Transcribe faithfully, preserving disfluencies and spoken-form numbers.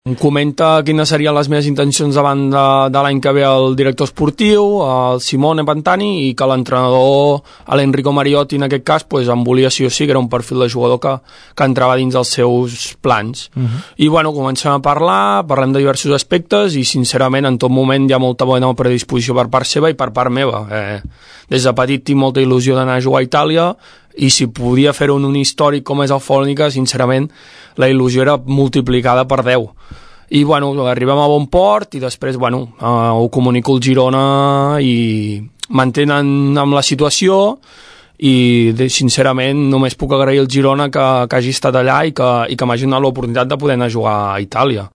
Em comenta quines serien les meves intencions davant de, de l'any que ve el director esportiu, el Simone Pantani, i que l'entrenador, l'Enrico Mariotti, en aquest cas, pues, em volia sí o sí, que era un perfil de jugador que, que entrava dins els seus plans. Uh-huh. I bueno, comencem a parlar, parlem de diversos aspectes i sincerament en tot moment hi ha molta bona predisposició per part seva i per part meva. Eh, des de petit tinc molta il·lusió d'anar a jugar a Itàlia i si podia fer-ho en un històric com és el Folnica, sincerament la il·lusió era multiplicada per deu. I bueno, arribem a bon port i després bueno, eh, ho comunico al Girona i mantenen amb la situació i de, sincerament només puc agrair al Girona que, que hagi estat allà i que, i que m'hagi donat l'oportunitat de poder anar a jugar a Itàlia.